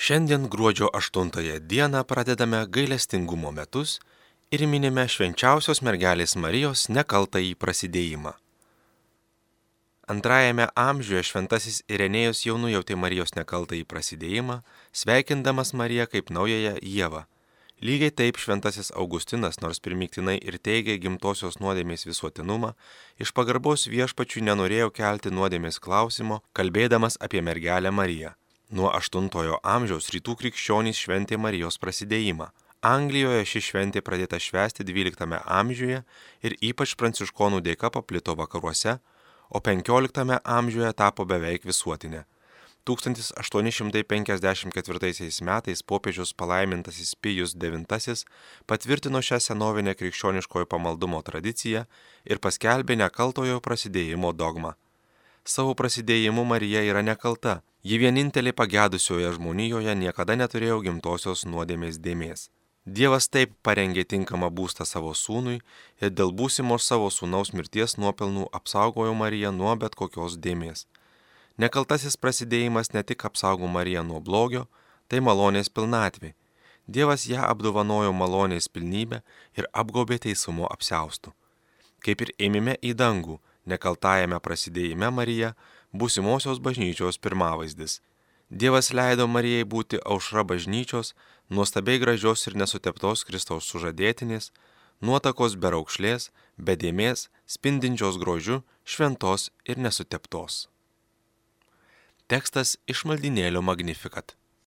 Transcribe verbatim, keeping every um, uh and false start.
Šiandien gruodžio aštuntąją dieną pradedame gailestingumo metus ir minime švenčiausios mergelės Marijos nekaltąjį prasidėjimą. Antrajame amžiuje šventasis Irenėjus jau nujautė Marijos nekaltąjį prasidėjimą, sveikindamas Mariją kaip naująją Ievą. Lygiai taip šventasis Augustinas, nors primygtinai ir teigė gimtosios nuodėmės visuotinumą, iš pagarbos Viešpačiui nenorėjo kelti nuodėmės klausimo, kalbėdamas apie mergelę Mariją. Nuo aštuntojo amžiaus rytų krikščionys šventė Marijos prasidėjimą. Anglijoje ši šventė pradėta švęsti dvyliktame amžiuje ir ypač pranciškonų dėka paplito vakaruose, o penkioliktame amžiuje tapo beveik visuotinė. tūkstantis aštuoni šimtai penkiasdešimt ketvirtaisiais metais popiežius palaimintasis Pijus devintasis patvirtino šią senovinę krikščioniškojo pamaldumo tradiciją ir paskelbė nekaltojo prasidėjimo dogmą. Savo prasidėjimu Marija yra nekalta, ji vienintelė pagedusioje žmonijoje niekada neturėjo gimtosios nuodėmės dėmės. Dievas taip parengė tinkamą būstą savo sūnui ir dėl būsimos savo sūnaus mirties nuopelnų apsaugojo Mariją nuo bet kokios dėmės. Nekaltasis prasidėjimas ne tik apsaugo Mariją nuo blogio, tai malonės pilnatvė. Dievas ją apdovanojo malonės pilnybę ir apgaubė teisumo apsiaustu. Kaip ir ėmime į dangų, nekaltajame prasidėjime Marija būsimosios bažnyčios pirmavaizdis. Dievas leido Marijai būti aušra bažnyčios, nuostabiai gražios ir nesuteptos Kristaus sužadėtinės, nuotakos be raukšlės, be dėmės, spindinčios grožiu, šventos ir nesuteptos. Tekstas iš maldynėlio Magnificat.